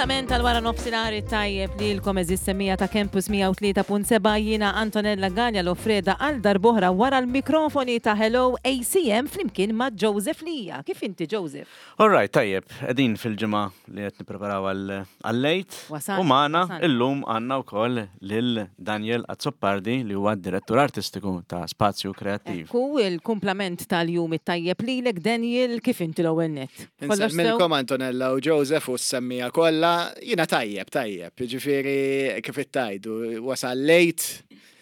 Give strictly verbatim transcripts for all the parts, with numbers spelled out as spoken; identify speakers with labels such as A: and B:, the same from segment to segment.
A: Il-kumplament tal-wara nofsinhar tajjeb lilkom, għeżież semmiegħa ta' Campus mija u tlieta punt sebgħa. Jiena Antonella Gallia Lofreda għal darb'oħra wara l-mikrofoni ta' Hello A C M flimkien ma' Joseph Lija. Kif inti, Joseph?
B: All right, tajjeb, qegħdin fil-ġimgħa li qed nippreparaw għall-Għid.
A: Wasal,
B: U magħna
A: wasal.
B: illum għandna wkoll lil Daniel Azzopardi, li huwa d-direttur artistiku ta' Spazju Kreattiv.
A: Ekku, il-kumplament tal-jum it-tajjeb lilek, Daniel. Kif inti l-ewwel nett? Kollox sew?
C: Insellmilkom, Antonella u Joseph u s-semmiegħa kollha. Jiena tajjeb, tajjeb. Ġifieri kif ittajdu, wasal l-Għid.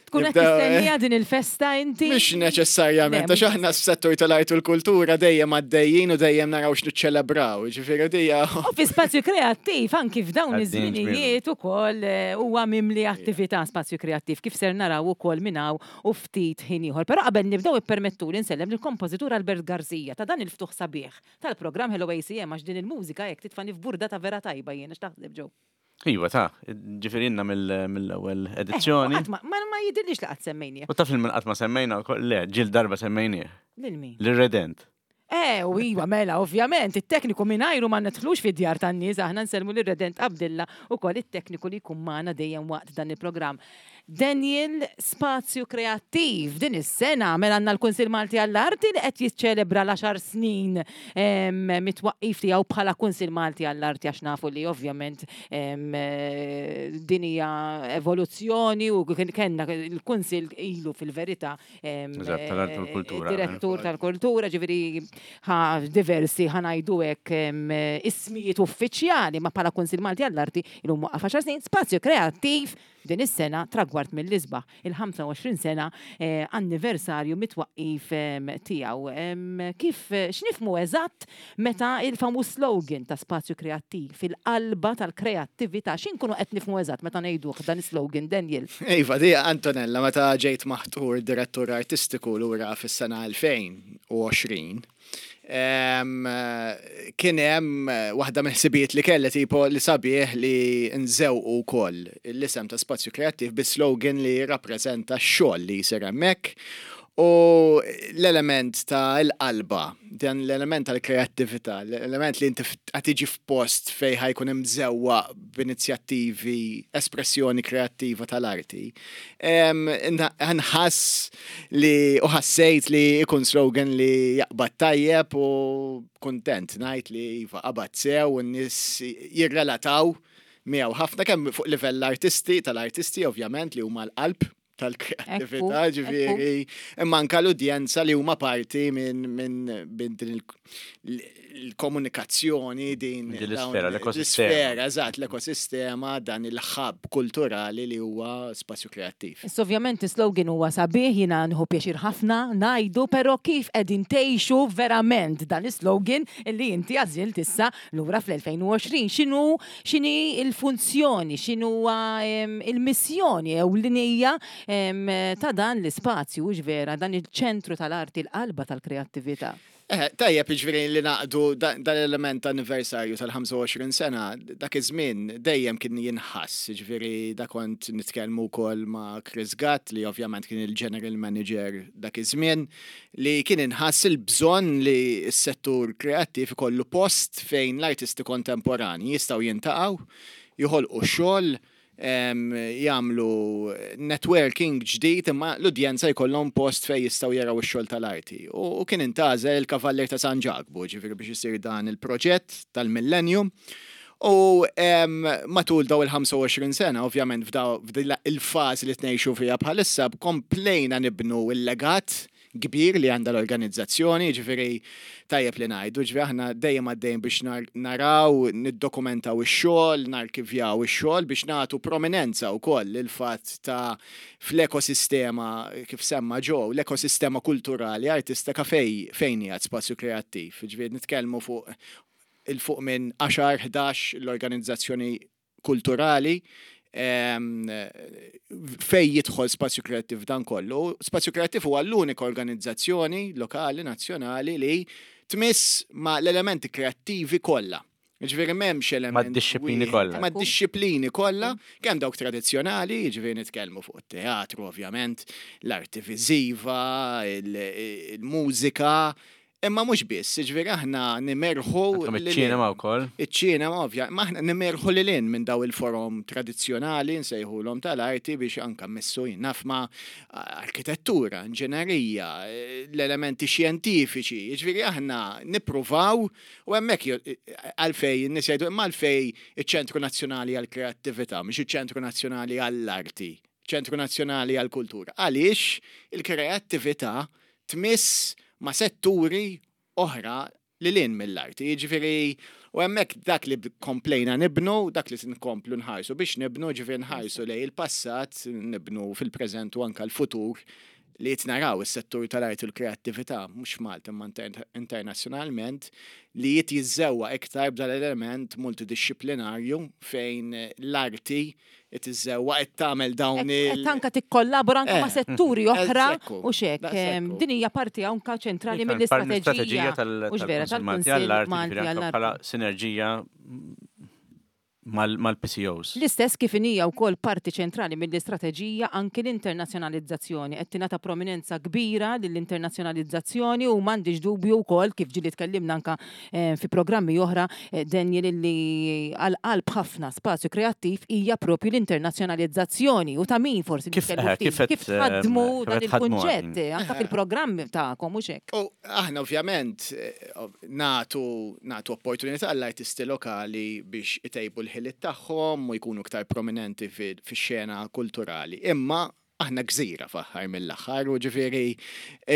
A: Tkun qed
C: Nibdew-
A: tistennija din il-festa inti?
C: Mhux neċessarjament,
A: Le,
C: għax aħna s-settur tal-art u l-kultura dejjem għaddejjin u dejjem naraw x'niċċelebraw. Ġifieri dija.
A: U fi Spazju Kreattiv, anki f'dawn
B: Għaddejjin.
A: iż-żminijiet ukoll eh, huwa mimli attività Spazju Kreattiv, kif ser naraw ukoll minn hawn u ftit ħin ieħor. Però qabel nibdew, ippermettu li nsellem lill-kompożitur Albert Garzija ta' dan il-ftuħ sabiħ tal-programm Hello A C M, għax din il-mużika jekk titfani f'burda ta' vera tajba jiena. X'taħseb, Joe?
B: Iva ta' ġifieri ilna mill-ewwel edizzjoni.
A: Qatt Ma ma ma jidhirlix li qatt semmejnieh.
B: U taf il-min qatt ma semmejna wkoll? Le, ġieli darba semmejnieh.
A: Lil min?
B: Lir-Redent.
A: Eh, u iwa, mela, ovvjament, it-tekniku mingħajru ma nidħlux fid-djar tan-nies, aħna nsellmu lir-Redent Abdilla u koll it-tekniku li jkun magħna dejjem waqt dan il-programm. Daniel, Spazju Kreattiv, din is-sena mela għandna l-Kunsil Malti għall-Arti li qed jiċċelebra l-għaxar snin em, mit-twaqqif tiegħu bħala Kunsil Malti għall-Arti, għax nafu li ovvjament em, eh, din hija evoluzzjoni u kien kellna il-Kunsil ilu fil-verità em,
B: Eżatt, tal-Arti u l-Kultura.
A: Direttur tal-kultura, ġifieri ħa diversi, ħa ngħidu hekk, em, ismijiet uffiċjali, ma bħala Kunsil Malti għall-Arti illum waqqaf għaxar snin. Spazju Kreattiv din is-sena tragward mill-isbaħ, il-ħamsa u għoxrin sena eh, anniversarju mit-twaqqif em, tiegħu. Em, Kif x'nifhmu eżatt meta il-famuż slogan ta' Spazju Kreattiv, fil-qalba tal-kreattività, x'inkunu qed nifhmu eżatt meta ngħiduh dan is-slogan, Daniel?
C: Iva, di Antonella, meta ġejt maħtur direttur artistiku lura fis-sena elfejn u għoxrin, em, kien hemm waħda mill-ħsibijiet li kelli, tipo li sabiħ li nżewqu wkoll l-isem ta' Spazju Kreattiv bi slogan li jirrappreżenta x-xogħol li jsir hemmhekk u l-element ta' l-qalba, dan l-element tal-kreattività, l-element li inti qed tiġi f'post fej ħa jkun imżewwaq b'inizjattivi, espressjoni kreattiva tal-arti. Em, Nħass li u ħassejt li ikun slogan li jaqbad tajjeb u kontent ngħid li iva, qabad sew u n-nies jirrelataw miegħu ħafna, kemm fuq livell artisti, tal-artisti ovvjament, li huma l-qalb tal-kreattività,
A: Ekku,
C: ġifieri, imma anka l-udjenza li huma parti minn min, min din il- il-komunikazzjoni din
B: Din
C: dawn-
B: l-isfera, l-ekosistema.
C: L-isfera, eżatt, l-ekosistema, dan il-hub kulturali li huwa Spazju Kreattiv.
A: Issa ovvjament is-slogan huwa sabiħ, jiena nieħu pjaċir ħafna ngħidu, però kif qegħdin tgħixu verament dan is-slogan li inti għażilt issa lura fl-elfejn u għoxrin? X'inhu x'inhi il-funzjoni, x'inhu em, il-missjoni ewlenija em, ta' dan l-ispazju, hux vera, dan il-ċentru tal-arti, l-qalba tal-kreattività?
C: Eh, tajjeb, ġifieri li naqdu dan l-element anniversarju tal-ħamsa u għoxrin sena, dak iż-żmien dejjem kien jinħass, ġifieri da kont nitkellmu wkoll ma' Chris Gatt, li ovvjament kien il-general manager dak iż-żmien, li kien inħass il-bżonn li s-settur kreattiv ikollu post fejn l-artisti kontemporani jistgħu jiltaqgħu, joħolqu xogħol, em, jagħmlu networking ġdid, imma l-udjenza jkollhom post fejn jistgħu jaraw ix-xogħol tal-arti. U, u kien intgħażel il-Kavallier ta' San Ġakbu, ġifieri biex isir dan il-proġett tal-Millennium. U em, matul daw il-ħamsa u għoxrin sena, ovvjament f'daw f'din il-fażi li tnejxu fiha bħalissa, komplejna nibnu il-legat kbir li għandha l-organizzazzjoni, ġifieri tajjeb li ngħidu, ġifieri aħna dejjem għaddejjem biex nar- naraw, niddokumentaw ix-xogħol, narkivjaw ix-xogħol biex nagħtu prominenza wkoll il-fatt ta' fl-ekosistema, kif semma Joe, l-ekosistema kulturali artistika fej fejn qiegħed Spazju Kreattiv. Ġifieri nitkellmu fuq il-fuq minn għaxar, ħdax l-organizzazzjoni kulturali em, fej jidħol Spazju Kreattiv dan kollu. Spazju Kreattiv huwa l-unika organizzazzjoni lokali, nazzjonali li tmiss ma l-elementi kreattivi kollha. Ġifieri m'hemmx element
B: Mad-dixxiplini
C: wieħed.
B: kollha.
C: Mad-dixxiplini kollha, kemm dawk tradizzjonali, ġifieri nitkellmu fuq it-teatru ovvjament, l-arti viżiva, il- il-mużika, Imma mhux biss, ġifieri aħna nimerħu
B: Għandkom iċ-ċinema wkoll.
C: Iċ-ċinema ovvja, ma aħna nimerħu lil hinn minn daw il-forom tradizzjonali nsejħulhom tal-arti biex anka messu naf ma' arkitettura, inġenerija, l-elementi xjentifiċi, ġifieri aħna nippruvaw u hemmhekk għalfej n-nies jgħidu imma għalfej iċ-Ċentru Nazzjonali għall-Kreattività, mhux iċ-Ċentru Nazzjonali għall-Arti, Ċentru Nazzjonali għall-Kultura. Għaliex il-kreattività tmiss ma' setturi oħra lil hinn mill-arti. Jiġifieri, u hemmhekk dak li komplejna nibnu, dak li nkomplu nħarsu biex nibnu, ġifieri nħarsu lejn il-passat, nibnu fil-preżent u anka l-futur li jitnaraw is-settur tal-arti u l-kreattività, mhux Malta imma internazzjonalment, li jit jiżżewwa iktar b'dal element multidisciplinarju fejn l-arti tiżżewwa qed tagħmel dawn il-
A: Qed anka tikkollabora anka ma'
C: Eh,
A: setturi oħra
C: ekku,
A: u xek.
C: daqshekk.
A: Din hija parti anka ċentrali mill-istrateġija
B: mill-istrateġija
A: u vera
B: tal-Kunsill Malti
A: tal-Kunsill
B: għall-Arti,
A: Malti
B: ġifieri anke
A: għall-Arti.
B: bħala sinerġija mal-P C Os.
A: L-istess kif hija wkoll parti ċentrali mill-istrateġija anki l-internazzjonalizzazzjoni. Qed tingħata prominenza kbira lill-internazzjonalizzazzjoni u m'għandix dubju wkoll kif ġieli tkellimna anka eh, fi programmi oħra eh, Daniel, illi għal qalb ħafna Spazju Kreattiv hija propju l-internazzjonalizzazzjoni u ta' min forsi
B: Kif-
A: nitkellmu
B: eh,
A: ftit,
B: kif qed,
A: kif tħaddmu
B: eh, kif
A: dan
B: qed tħaddmu
A: il-kunċett
B: għadin.
A: anka fil-programmi tagħkom u xek.
C: U aħna ovvjament eh, natu, natu opportunità għall-artisti lokali biex itejbu l-ħiliet tagħhom u jkunu iktar prominenti fix-xena kulturali. Imma aħna gżira fl-aħħar mill-aħħar u ġifieri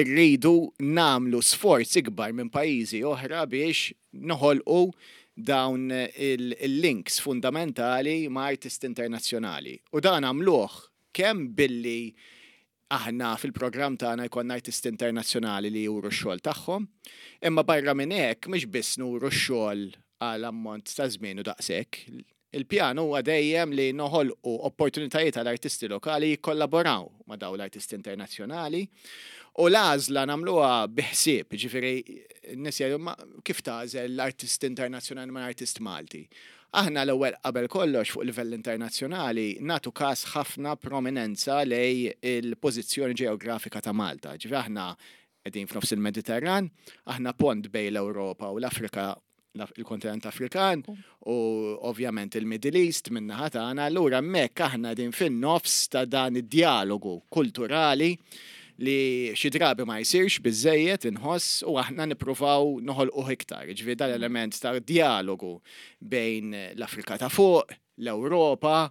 C: rridu nagħmlu sforz ikbar minn pajjiżi oħra biex noħolqu dawn il-links fundamentali ma' artisti internazzjonali. U dan għamluh kemm billi aħna fil-programm tagħna jkollna artisti internazzjonali li juru x-xogħol tagħhom, imma barra minn hekk mhux biss nuru x-xogħol għal ammont ta' żmien u daqshekk. Il-pjan huwa dejjem li noħolqu opportunitajiet għal artisti lokali jikkollaboraw ma' dawn l-artisti internazzjonali u l-għażla nagħmluha biħsieb, ġifieri n-nies jgħidu, "Ma kif tagħżel l-artist internazzjonali ma' artist Malti?" Aħna l-ewwel qabel kollox fuq livell internazzjonali natu każ ħafna prominenza lejn il-pożizzjoni ġeografika ta' Malta. Ġifieri aħna qegħdin f'nofs il-Mediterran, aħna pont bejn l-Ewropa u l-Afrika, il-kontinent Afrikan u ovvjament il-Middle East min-naħa tagħna, allura hemmhekk aħna din fin-nofs ta' dan id-dialogu kulturali li xi drabi ma jsirx biżejjed inħoss u aħna nippruvaw noħolquh iktar. Ġifieri dal-element ta' dialogu bejn l-Afrika ta' fuq, l-Ewropa,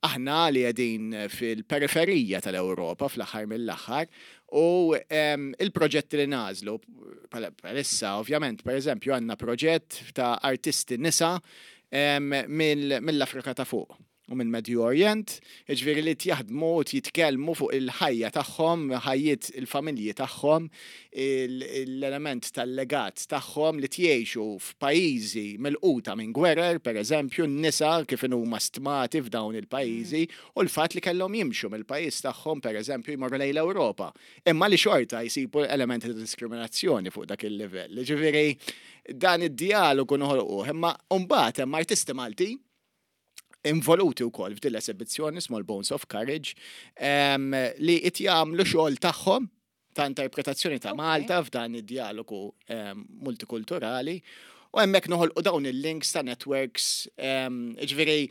C: aħna li qegħdin fil-periferija tal-Ewropa fl-aħħar mill-aħħar u em, il-proġetti li nagħżlu bħalissa ovvjament, per eżempju, għandna proġett ta' artisti nisa em, mill- mill-Afrika ta' fuq u mill Medju Orient, ġifieri li jaħdmu u jitkellmu fuq il-ħajja tagħhom, ħajjiet il-familji tagħhom, l-element tal-legat tagħhom li tgħixu f'pajjiżi milquta minn gwerer, per eżempju, n-nisa kif huma stmati f'dawn il-pajjiżi u l-fatt li kellhom jimxu mill-pajjiż tagħhom, per eżempju, jmorru lejn l-Ewropa. Imma li xorta jsibu elementi ta' diskriminazzjoni fuq dak il-livell. Ġifieri dan id-dialogu noħolquh, imma mbagħad hemm artisti Malti involuti wkoll f'din l-esibizzjoni Small Bones of Courage em, li qed jagħmlu xogħol tagħhom ta' interpretazzjoni ta'
A: Ok.
C: Malta f'dan id-dialogu em, multikulturali u hemmhekk noħolqu dawn il-links ta' networks em, ġifieri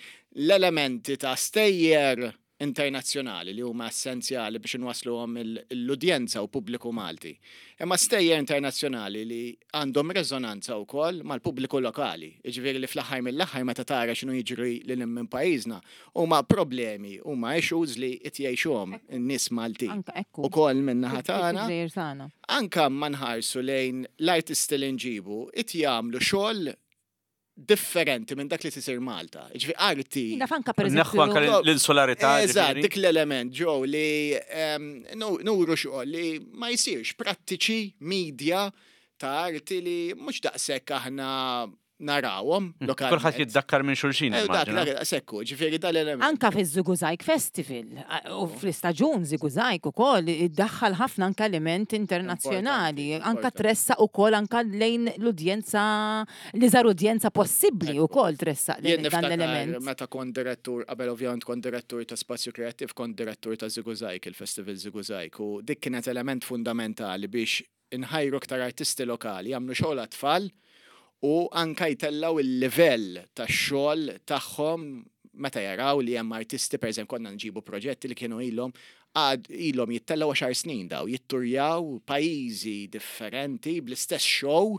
C: l-elementi ta' stejjer internazzjonali li huma essenzjali biex inwasluhom l-udjenza u pubbliku Malti. Imma stejjer internazzjonali li għandhom rezonanza wkoll mal-pubbliku lokali. Jiġifieri li fl-aħħar mill-aħħar meta tara x'inhu jiġri lil minn pajjiżna huma problemi, huma issues li qed jgħixuhom in-nies Maltin.
A: Anka ekku.
C: Ukoll min-naħa tagħna
A: Fil-gżejjer tagħna.
C: Anka ma nħarsu lejn l-artisti li nġibu, it jagħmlu xogħol differenti minn dak li tisir Malta. Ġifieri arti.
A: Naf anka per
B: Neħħu anka
A: eżempju.
B: l-insularità.
C: Eżatt,
B: ġifieri.
C: dik l-element, ġew li em, nu- nuru xogħol li ma jsirx, prattiċi, media ta' arti li mhux daqshekk aħna narawhom lokalment.
B: Kulħadd jiddakkar minn xulxin.
C: Eh, Dak,
B: immaġina.
C: dak, sekku, ġifieri dal-element.
A: Anka fi Żigużajg Festival a- u fl-istaġun Żigużajg ukoll iddaħħal ħafna anka element internazzjonali,
C: Importanti,
A: anka
C: importanti.
A: tressa ukoll anka lejn l-udjenza, l-iżgħar udjenza possibbli ukoll tressa
C: Jien
A: lejn dan
C: niftakar
A: l-element.
C: meta kont direttur, qabel ovvjament kont direttur ta' Spazju Kreattiv, kont direttur ta' Żigużajg, il-Festival Żigużajg, u dik kienet element fundamentali biex inħajru aktar artisti lokali jagħmlu xogħol għat-tfal u anka jtellaw il-livell tax-xogħol tagħhom meta jaraw li hemm artisti, per eżempju, konna nġibu proġetti li kienu ilhom għad ilhom jittellaw għaxar snin daw, jitturjaw pajjiżi differenti bl-istess show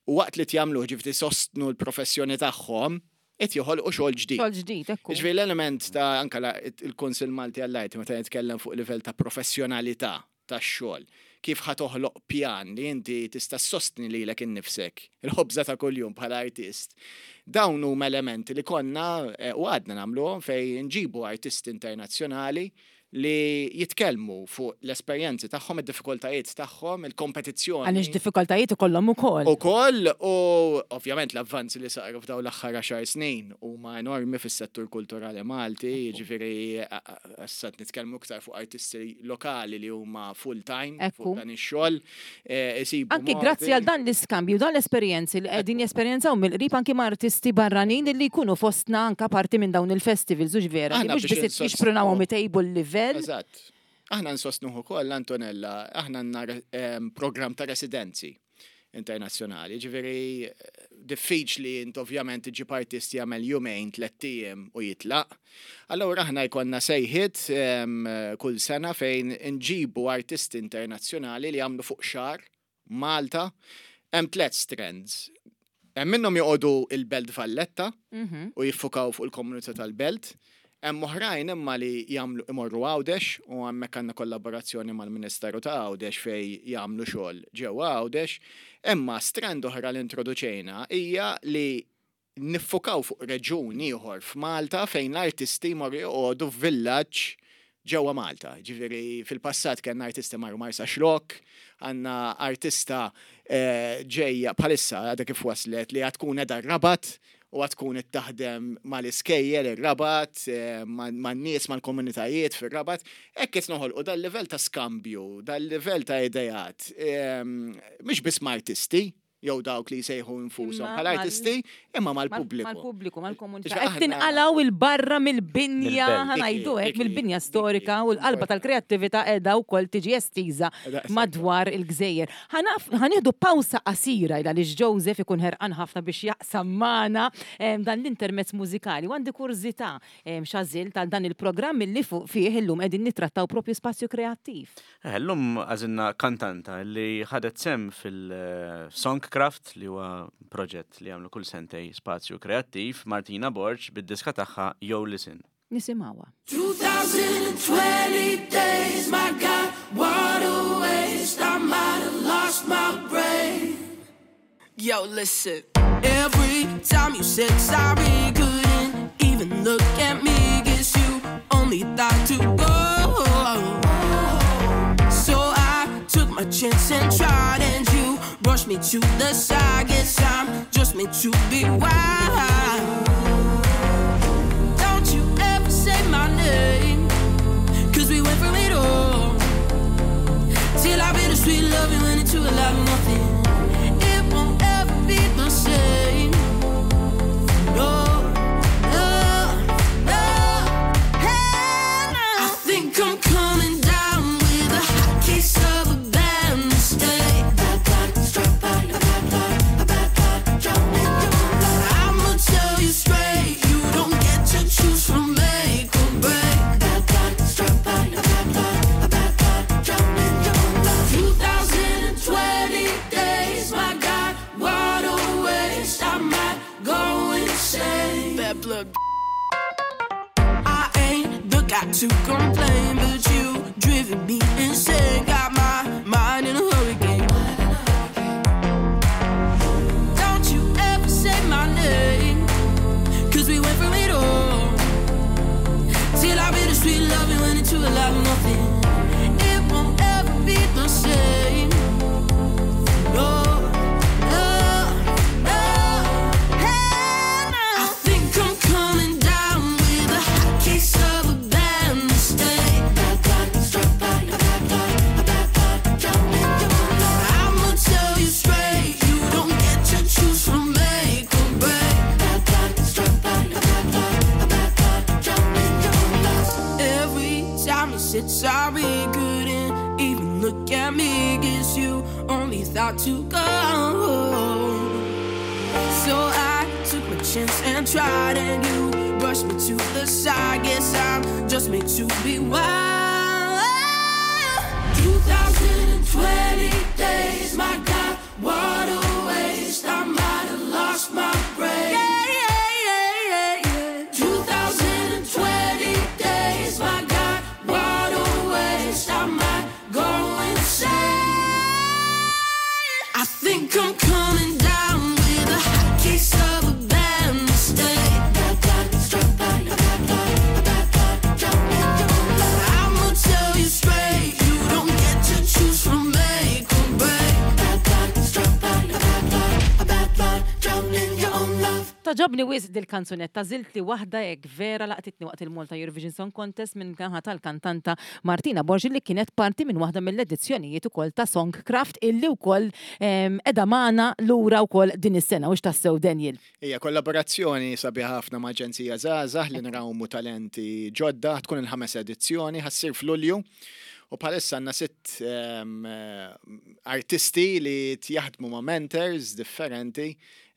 C: u waqt li jagħmlu ġifieri sostnu l-professjoni tagħhom qed joħolqu xogħol ġdid.
A: Xogħol ġdid, ekku.
C: Ġifieri l-element ta' anka la- il-Kunsill Malti għall-Arti meta nitkellem fuq livell ta' professjonalità tax-xogħol. Kif ħa toħloq pjan li inti tista' sostni lilek innifsek, il-ħobża ta' kuljum bħala artist. Dawn huma elementi li konna eh, u għadna nagħmluhom fejn nġibu artisti internazzjonali li jitkellmu fuq l-esperjenzi tagħhom, id-diffikultajiet tagħhom, il-kompetizzjoni.
A: Għaliex diffikultajiet ikollhom ukoll.
C: U koll, u ovvjament l-avvanzi li saru f'daw l-aħħar għaxar snin huma enormi fis-settur kulturali Malti, jiġifieri issa nitkellmu iktar fuq artisti lokali li huma full-time
A: Ekku.
C: fuq dan ix-xogħol. eh, isibu
A: Anki
C: modi.
A: grazzi għal dan l-iskambju, dan l-esperjenzi li qegħdin jesperjenzaw mill-qrib anki ma' artisti barranin li jkunu fostna anka parti minn dawn il-festivals, u vera, li
C: Aħna
A: mhux
C: biex
A: biss
C: insostnu-
A: jixprunawhom itejbu l-livell.
C: Eżatt. Aħna nsostnuh ukoll, Antonella, aħna għandna em, program ta' residenzi internazzjonali. Ġifieri eh, diffiċli int ovvjament iġib artist jagħmel jumejn, tlett ijiem u jitlaq. Allura aħna jkollna sejħiet em, kull sena fejn nġibu artisti internazzjonali li jagħmlu fuq xahar Malta. Hemm tliet strands. Hemm minnhom joqogħdu il-Belt Valletta
A: Mhm.
C: u jiffukaw fuq il-komunità tal-Belt. Hemm oħrajn imma li jagħmlu imorru Għawdex u hemmhekk għandna kollaborazzjoni mal-Ministeru ta' Għawdex fej jagħmlu xogħol ġewwa Għawdex. Imma strand oħra li introduċejna hija li niffukaw fuq reġun ieħor f'Malta fejn l-artisti jmorru joqogħdu f'villaġġ ġewwa Malta. Ġifieri fil-passat kellna artisti marru Marsaxlokk, għandna artista eh, ġejja bħalissa għadha kif waslet li għad tkun qiegħda Rabat u għad tkun qed taħdem mal-iskejjel ir-Rabat, eh, man-nies, mal-komunitajiet fir-Rabat. Hekk qed noħolqu dal-livell ta' skambju, dal-livell ta' idejat, ehm, mhux biss ma' artisti, jew dawk li jsejħu infushom
A: Imma
C: bħala
A: mal-
C: artisti, imma mal-pubbliku.
A: Mal-pubbliku, mal-komunità.
C: Ġa
A: Qed
C: aħna-
A: tinqalaw il-barra mill-binja,
B: Mill-belt.
A: ħa ngħidu hekk,
C: Dik hi,
A: mill-binja
C: dik hi,
A: storika u l-qalba tal-kreattività qiegħda wkoll tiġi estiża
C: Eżatt.
A: madwar il-gżejjer. Ħa nieħdu pawsa qasira ila li Joseph ikun ħerqan ħafna biex jaqsam magħna em, dan l-intermezz mużikali. U għandi kurżità em, x'għażilt tal dan il-programm li fuq fih illum qegħdin nittrattaw propju spazju kreattiv.
B: Eh, Llum għażilna kantanta li ħadet sehem fil-Songcraft li huwa proġett li għamlu kull sentejn Spazju Kreattiv, Martina Borg bid-diska tagħha Yo Listen.
A: Nisimgħuha.
D: twenty twenty days, my God, what a waste. I might have lost my brain. Yo, listen. Every time you said sorry, couldn't even look at me. Guess you only thought to go. So I took my chance and tried, and you brushed me to the side. Guess I'm just meant to be wild. Don't you ever say my name, 'cause we went from it all till our bittersweet love went into a lot of nothing. It won't ever be the same. No, no, no. Hell no. I think I'm coming down with a hot case of a bad mistake. I'ma tell you straight, you don't get to choose from make or break. twenty twenty days, my God, what a waste. I might go insane. Bad blood. I ain't the guy to complain, but you driven me insane. Got my mind in a hurricane. Don't you ever say my name, 'cause we went from it all till our bittersweet love went into a lot of nothing. It won't ever be the same. No, no, no. Hell no. I think I'm coming down with a hot case of a bad mistake. got to go. So I took my chance and tried, and you brushed me to the side. Guess I'm just made to be wild. two thousand twenty days, my God, what a waste. I might have lost my brain. Yeah, yeah, yeah, yeah, yeah. two thousand twenty days, my God, what a waste. I might go insane. I think I'm coming down with a hot case of a bad mistake. I'ma tell you straight, you don't get to choose from make or break.
A: Togħġobni wisq dil-kanzunetta, żilt li waħda hekk vera laqtitni waqt il-Malta Eurovision Song Contest minn naħa tal-kantanta Martina Borg li kienet parti minn waħda mill-edizzjonijiet ukoll ta' Songcraft illi wkoll em, qiegħda magħna lura wkoll din is-sena u x'tassew Daniel.
C: Hija kollaborazzjoni sabiħa ħafna ma' Aġenzija Żgħażagħ li nrawmu talenti ġodda, tkun il-ħames edizzjoni, ħa ssir f'Lulju. U bħalissa għandna sitt em, eh, artisti li jaħdmu ma' mentors differenti,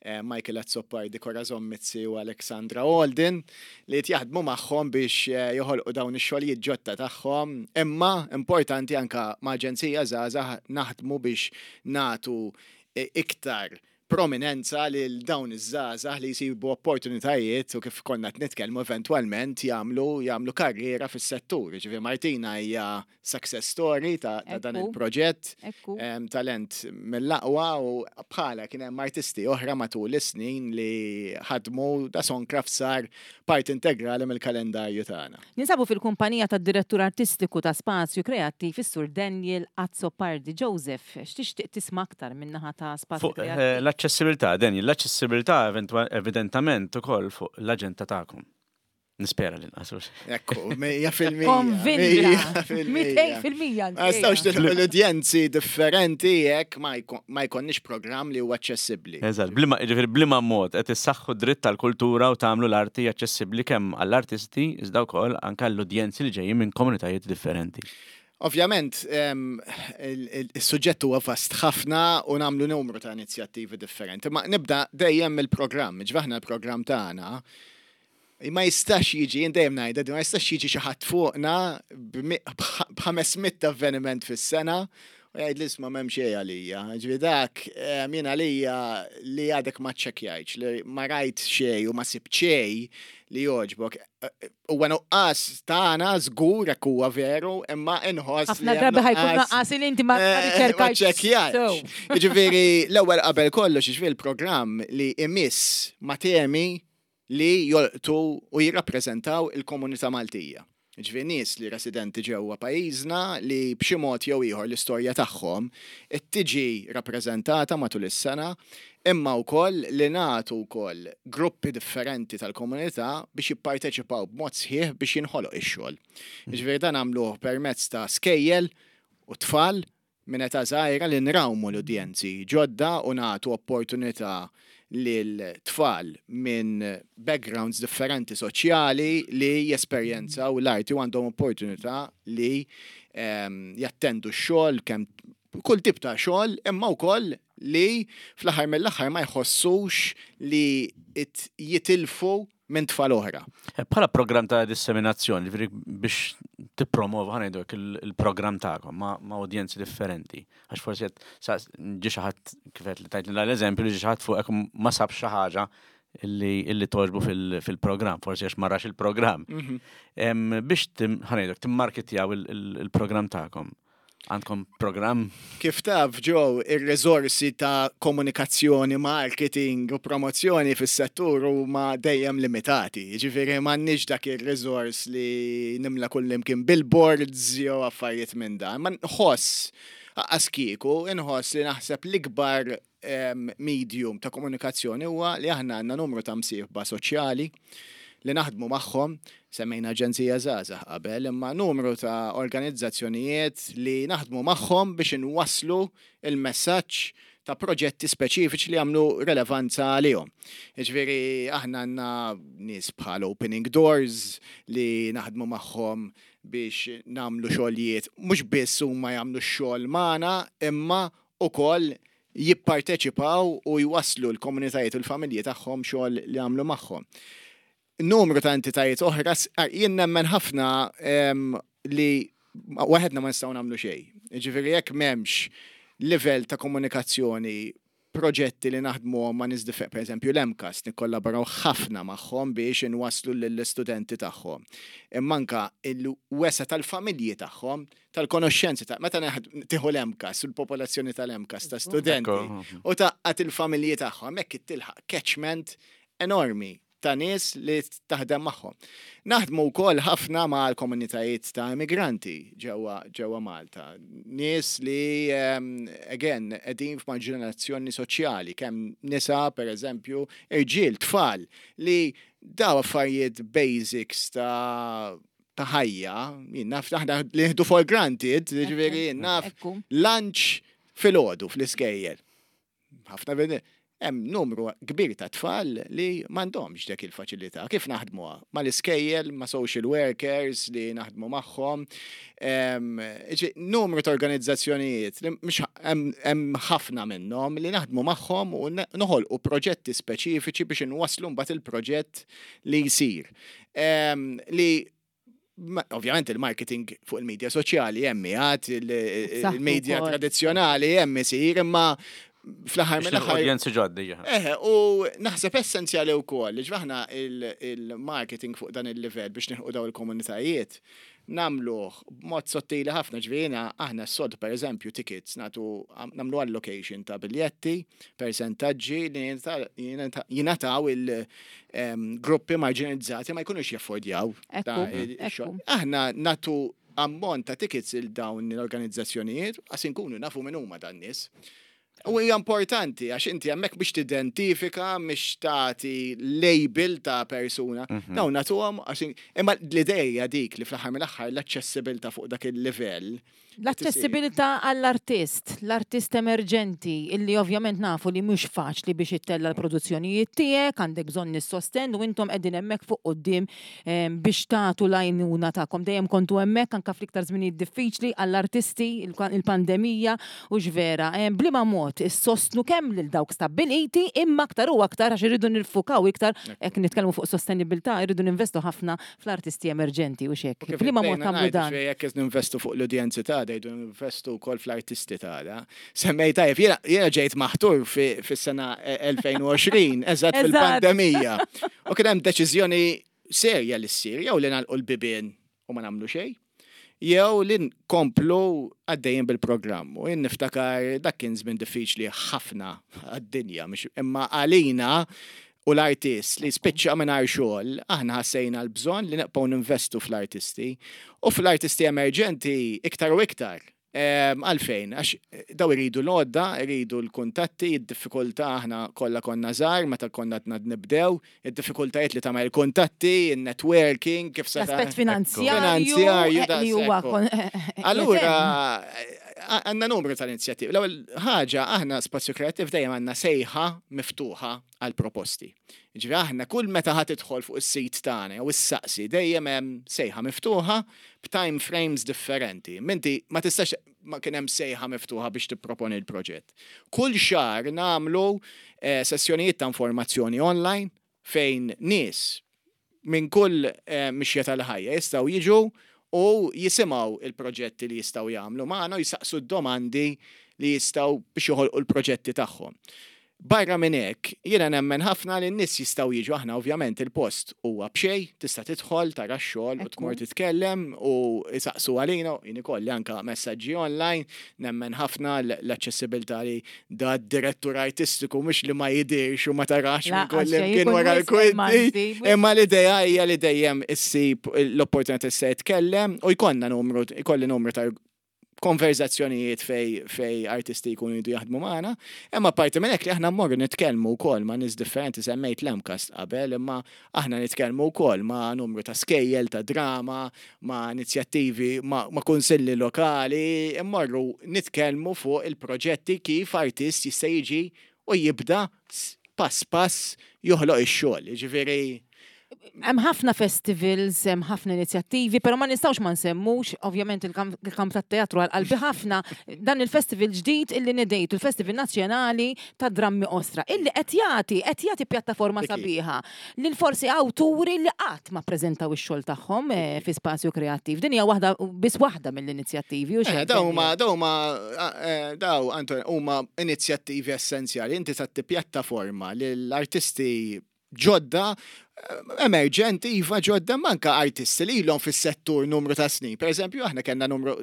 C: eh, Michael Azzopardi, Corazon Mizzi u Alexandra Alden, li jaħdmu magħhom biex eh, joħolqu dawn ix-xogħlijiet ġodda tagħhom. Imma importanti anka ma' Aġenzija Żgħażagħ naħdmu biex natu eh, iktar prominenza lil dawn iż-żgħażagħ li jsibu opportunitajiet u kif konna qed nitkellmu eventwalment jagħmlu jagħmlu karriera fis-settur. Ġifieri Martina hija success story ta', ta dan
A: Ekku.
C: il-proġett,
A: Ekku.
C: em, talent mill-aqwa u bħala kien hemm artisti oħra matul is-snin li ħadmu da Songcraft sar parti integrali mill-kalendarju tagħna.
A: Ninsabu fil-kumpanija tad-direttur artistiku ta' Spazju Kreattiv is-Sur Daniel Azzopardi. Joseph, x'tixtieq tisma' aktar min-naħa ta' Spazju
B: Fuq eh,
A: Kreattiv?
B: l-aċċessibilità, Daniel, l-aċċessibilità eventua- evidentament ukoll fuq l-aġenda tagħkom. Nispera li nqasux.
C: Ekku, mija fil-mija.
A: Konvinta.
C: mija fil-mija.
A: Mitejn fil-mija.
C: Ma nistgħux nilħqu l-udjenzi differenti jekk ma jkun- ma jkollniex programm li huwa aċċessibbli.
B: Eżatt, bliema, ġifieri bliema mod qed issaħħu dritt tal-kultura u tagħmlu l-arti aċċessibbli kemm għall-artisti iżda wkoll anke għall-udjenzi li ġejjin minn komunitajiet differenti.
C: Ovvjament, em, il- il- il-suġġett huwa vast ħafna u nagħmlu numru ta' inizjattivi differenti. Ma nibda dejjem mill-programm, ġvaħna l-programm tagħna ma jistax jiġi, jien dejjem ngħidha, ma jistax jiġi xi ħadd fuqna b'mi- b'ħ- b'ħames mitt avveniment fis-sena u jgħid li isma' m'hemm xejn għalija. Ġifieri dak em, jien għalija li għadek ma ċċekkjajtx, li ma rajt xejn u ma sibt xejn li jogħġbok. Huwa nuqqas tagħna żgur hekk huwa veru, imma inħoss li
A: Ħafna
C: hemm
A: drabi ħa jkun
C: nuqqas-
A: naqqas li inti ma
C: Eh, ma
A: riċerkajtx.
C: ċċekkjajtx.
A: sew.
C: Jiġifieri l-ewwel qabel kollox, jiġifieri l-programm li imiss ma' temi li jolqtu u jirrappreżentaw il-komunità Maltija. Ġifieri nies li residenti ġewwa pajjiżna li b'xi mod jew ieħor l-istorja tagħhom tiġi rappreżentata matul is-sena, imma wkoll li nagħtu wkoll gruppi differenti tal-komunità biex jipparteċipaw b'mod sħiħ biex jinħoloq ix-xogħol. Ġifieri dan nagħmluh permezz ta' skejjel u tfal minn età żgħira li nrawmu l-udjenzi ġodda u nagħtu opportunità lil tfal minn backgrounds differenti soċjali li jesperjenzaw l-arti u għandhom opportunità li em, jattendu x-xogħol kemm kull tip ta' xogħol imma wkoll li fl-aħħar mill-aħħar ma jħossux li it jitilfu minn tfal oħra.
B: Eh, Bħala programm ta' disseminazzjoni, ġifieri biex tippromova ħa ngħidu hekk il- il-programm tagħkom ma' ma' udjenzi differenti. Għax forsi qed sa- ġi xi ħadd kif qed li tajt l-eżempju li ġi xi ħadd fuqek ma sab xi ħaġa illi illi togħġbu fil- fil-programm, forsi għax ma rax il-programm. Em, Biex tim- ħa ngħidu hekk timmarketjaw il- il- il-programm tagħkom. Għandkom programm
C: Kif taf, Joe, ir-riżorsi ta' komunikazzjoni, marketing u promozzjoni fis-settur huma dejjem limitati. Ġifieri m'għandniex dak ir-riżors li nimla kull imkien billboards jew affarijiet minn dan. Ma nħoss anqas kieku, inħoss li naħseb l-ikbar em, medium ta' komunikazzjoni huwa li aħna għandna numru ta' msieħba soċjali li naħdmu magħhom, semmejna Aġenzija Żgħażagħ qabel, imma numru ta' organizzazzjonijiet li naħdmu magħhom biex inwasslu il-messaġġ ta' proġetti speċifiċi li għamlu relevanza għalihom. Jiġifieri aħna għandna nies bħal Opening Doors li naħdmu magħhom biex nagħmlu xogħlijiet, mhux biss huma jagħmlu x-xogħol magħna, imma ukoll Jipparteċipaw u jwaslu l-komunitajiet u l-familji tagħhom xogħol li għamlu magħhom. Numru ta' entitajiet oħra, s- ah, jien nemmen ħafna em, li waħedna ma nistgħu nagħmlu xejn. Ġifieri jekk m'hemmx livell ta' komunikazzjoni, proġetti li naħdmu ma' nies differ, per eżempju l-M CAST nikkollaboraw ħafna magħhom biex inwaslu lill-istudenti tagħhom. Imma anka il-wesa tal-familji tagħhom, tal-konoxxenzi ta' meta naħd- tieħu l-M CAST u l-popolazzjoni tal-M CAST ta' studenti
B: Ekku.
C: u tgħaqqad il-familji tagħhom, hekk tilħaq catchment enormi ta' nies li taħdem magħhom. Naħdmu wkoll ħafna ma' l-komunitajiet ta' immigranti ġewwa ġewwa Malta. Nies li um, again qegħdin f'marġinazzjoni soċjali, kemm nisa per eżempju, irġiel, tfal li daw affarijiet basics ta' ta' ħajja, jien naf aħna li nieħdu for granted, ġifieri jien naf
A: Ekku.
C: lunch filgħodu fl-iskejjel. Ħafna vedi, hemm numru kbir ta' tfal li m'għandhomx dik il-faċilità. Kif naħdmuha? Mal-iskejjel, ma' social workers li naħdmu magħhom. Em, ġi- Numru ta' organizzazzjonijiet li mhux hemm hemm ħafna minnhom li naħdmu magħhom u ne- noħolqu proġetti speċifiċi biex inwasslu mbagħad il-proġett li jsir. Em, Li ma- ovvjament il-marketing fuq il-medja soċjali hemm għad,
A: Saħħtu
C: il-medja
A: wkoll.
C: tradizzjonali hemm isir, imma fl-aħħar
B: Biex
C: mill-aħħar
B: udjenzi ġoddi.
C: Eħe, u naħseb essenzjali wkoll li ġvaħna il-marketing fuq dan il-livell biex nilħqu daw il-komunitajiet nagħmluh b'mod sottili ħafna. Ġvina aħna s-sod per eżempju tickets nagħtu, nagħmlu allocation ta' biljetti, percentaġġi li jingħataw il-gruppi marginalizzati ma jkunux jaffordjaw.
A: Ekku, ekku.
C: Aħna nagħtu ammont ta' tickets il dawn l-organizzazzjonijiet għax inkunu nafu minn huma dan nies. U hija importanti għax inti hemmhekk biex tidentifika, mhix tagħti label ta' persuna. Dawn nagħtuhom għax imma l-idea dik li fl-aħħar mill-aħħar l-aċċessibilità fuq dak il-livell.
A: L-aċċessibilità għall-artist, l-artist emerġenti, illi ovvjament nafu li mhux faċli biex ittella l-produzzjonijiet tiegħek, għandek bżonn is-sosten u intom qegħdin hemmhekk fuq quddiem em, biex tagħtu l-għajnuna tagħkom. Dejjem kontu hemmhekk anke fl-iktar żminijiet diffiċli għall-artisti, il-pandemija u x'vera. Em, Bliema mod issostnu kemm lil dawk stabbiliti imma aktar u aktar għax irridu niffukaw iktar jekk nitkellmu fuq sostenibilità, irridu ninvestu ħafna fl-artisti emerġenti u xek.
C: Kif
A: Bliema mod
C: bdejna
A: tagħmlu
C: ngħidu,
A: dan?
C: ġifieri jekk qed ninvestu fuq l-udjenzi ta' jridu ninvestu wkoll fl-artisti tagħna. Semmej tajjeb, jiena jiena ġejt maħtur fi- fis-sena elfejn u għoxrin, eżatt
A: Eżatt.
C: fil-pandemija. U kien hemm deċiżjoni serja li ssir, jew li nagħlqu l-bibien u ma nagħmlu xejn, jew li nkomplu għaddejjin bil-programm. U jien niftakar dak kien żmien diffiċli ħafna għad-dinja, mhux- imma għalina u l-artist li spiċċa mingħajr xogħol, aħna ħassejna l-bżonn li nibqgħu ninvestu fl-artisti u fl-artisti emerġenti iktar u iktar. Em, Għalfejn, għax daw iridu l-għodda, iridu l-kuntatti, id-diffikultà, aħna kollha konna żgħar meta konna għadna nibdew, id-diffikultajiet li tagħmel kuntatti, il-networking, kif sa
A: L-aspett finanzjarju
C: Finanzjarju,
A: eh, li huwa
C: daqshekk.
A: kon-
C: Allura, għandna numru tal-inizjattivi. L-ewwel ħaġa, aħna Spazju Kreattiv dejjem għandna sejħa miftuħa għal proposti. Ġifieri aħna kull meta ħa tidħol fuq is-sit tagħna jew issaqsi, dejjem hemm sejħa miftuħa b'time frames differenti. Minti ma tistax ma kien hemm sejħa miftuħa biex tipproponi l-proġett. Kull xahar nagħmlu eh, sessjonijiet ta' informazzjoni online fejn nies minn kull eh, mixja tal-ħajja jistgħu jiġu u jisimgħu il-proġetti li jistgħu jagħmlu magħna u jisaqsu d-domandi li jistgħu biex joħolqu l-proġetti tagħhom. Barra minn hekk, jiena nemmen ħafna li n-nies jistgħu jiġu. Aħna ovvjament il-post huwa b'xejn, tista' tidħol, tara x-xogħol u tmur
A: Ekku.
C: titkellem u jisaqsu għalina, jien ikolli anka messaġġi online, nemmen ħafna l- l-aċċessibilità li da direttur artistiku mhux li ma jidirx u ma tarax minn
A: Lanqas
C: kull
A: xejn,
C: imkien
A: ikun
C: wara
A: wisq
C: l-kwinti.
A: manti,
C: Imma l-idea hija li dejjem issib l-opportunità se jitkellem u jkollna numru, ikolli numru ta' konverzazzjonijiet fej, fej artisti jkunu jridu jaħdmu magħna. Imma parti minn hekk li aħna mmorru nitkellmu wkoll ma' nies differenti, semmejt l-M CAST qabel, imma aħna nitkellmu wkoll ma' numru ta' skejjel, ta' drama, ma' inizjattivi, ma', ma' kunsilli lokali, immorru nitkellmu fuq il-proġetti kif artist jista' jiġi u jibda s- pass pass joħloq ix-xogħol. Ġifieri
A: Hemm ħafna festivals, hemm ħafna inizjattivi, però ma nistgħux ma nsemmux, ovvjament il-kamp tat-teatru għal qalbi ħafna, dan il-festival ġdid illi nidejtu, il-Festival Nazzjonali ta' Drammi Qosra, illi qed jagħti qed jagħti pjattaforma sabiħa lil forsi awturi li qatt ma ppreżentaw ix-xogħol tagħhom eh, fi spazju kreattiv. Din hija waħda biss waħda mill-inizjattivi.
C: Eh, daw huma daw huma eh, daw Anton huma inizjattivi essenzjali. Inti tagħti pjattaforma lill-artisti ġodda emerġenti, iva ġodda manka artisti li ilhom fis-settur numru ta' snin. Per eżempju, aħna kellna numru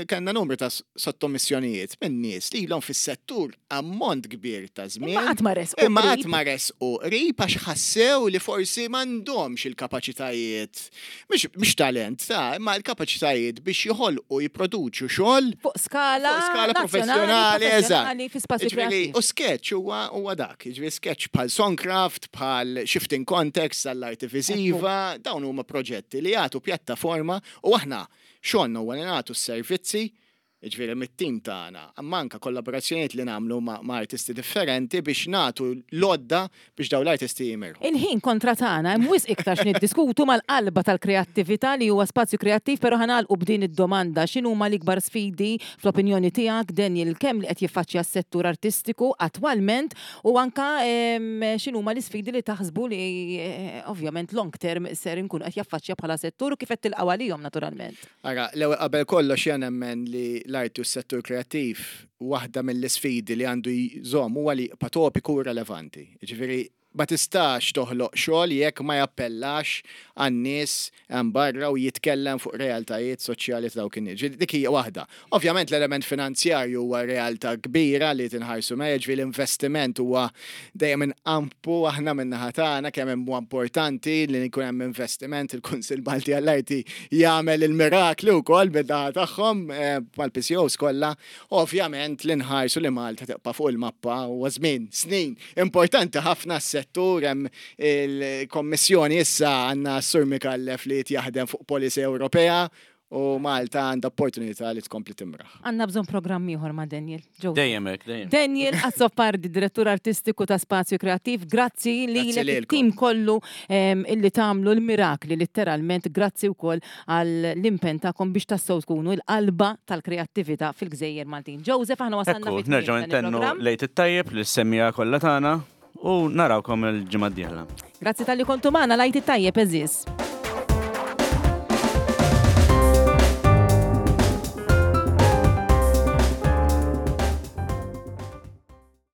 C: kellna numru ta' sottomissjonijiet minn nies li ilhom fis-settur ammont kbir ta' żmien.
A: Imma qatt ma resqu
C: Imma qatt ma resqu qrib għax ħassew li forsi m'għandhomx il-kapaċitajiet, mhux talent, ta' imma l-kapaċitajiet biex joħolqu jipproduċu xogħol
A: fuq skala
C: fuq skala professjonali, eżatt.
A: Fi spazju kreattiv.
C: U sketch huwa huwa dak, jiġifieri sketch bħal Songcraft, bħal Shifting Context, għall-arti viżiva, dawn huma proġetti li jagħtu pjattaforma u aħna xogħolna huwa li nagħtu s-servizzi, jiġifieri mit-tim tagħna, imma anke kollaborazzjonijiet li nagħmlu ma' artisti differenti biex nagħtu l-għodda biex dawn l-artisti jimirħu.
A: Il-ħin kontra tagħna hemm wisq iktar x'niddiskutu mal-qalba tal-kreattività li huwa spazju kreattiv, però ħa nagħlqu b'din id-domanda: x'inhuma l-ikbar sfidi fl-opinjoni tiegħek, Daniel, kemm li qed jiffaċċja s-settur artistiku attwalment u anka x'inhuma l-isfidi li taħsbu li eh, ovvjament long term ser inkunu qed jaffaċċja bħala settur u kif qed tilqgħu għalihom naturalment?
C: Ara, l-ewwel qabel kollox jien nemmen li l-arti u s-settur kreattiv waħda mill-isfidi li għandu jżomm huwa li jibqa' topiku u relevanti. Ġifieri ma tistax toħloq xogħol jekk ma jappellax għan-nies hemm barra u jitkellem fuq realtajiet soċjali ta' dawk in-nies. Ġifieri dik hija waħda. Ovvjament l-element finanzjarju huwa realtà kbira li tinħarsu meja, ġifieri l-investiment huwa dejjem inqampu aħna min-naħa tagħna kemm huwa importanti li jkun hemm investiment. Il-Kunsill Malti għall-Arti jagħmel il-mirakli wkoll min-naħa tagħhom eh, mal-P C Os kollha. Ovvjament li nħarsu li Malta tibqa' fuq il-mappa huwa żmien, snin importanti ħafna s-settur. Hemm il-Kommissjoni issa, għandna Sur Micallef li jaħdem fuq policy Ewropea u Malta għandha opportunità li tkompli timraħ.
A: Għandna bżonn programm ieħor ma' Daniel. Joe.
B: Dejjem hekk, dejjem.
A: Daniel Azzopardi, direttur artistiku ta' Spazju Kreattiv, grazzi li
C: Grazzi lilkom.
A: Il-tim kollu em, illi tagħmlu l-mirakli letteralment, grazzi wkoll għall-impenn tagħkom biex tassew tkunu l-qalba tal-kreattività fil-Gżejjer Maltin. Joseph, aħna wasalna
B: Ekku,
A: fit-tmiem
B: nerġgħu
A: dan
B: ntennu
A: il-programm.
B: l-Għid it-tajjeb lis-semmiegħa kollha tagħna u narawkom il-ġimgħa d-dieħla.
A: Grazzi talli kontu magħna, l-Għid it-tajjeb, għeżież.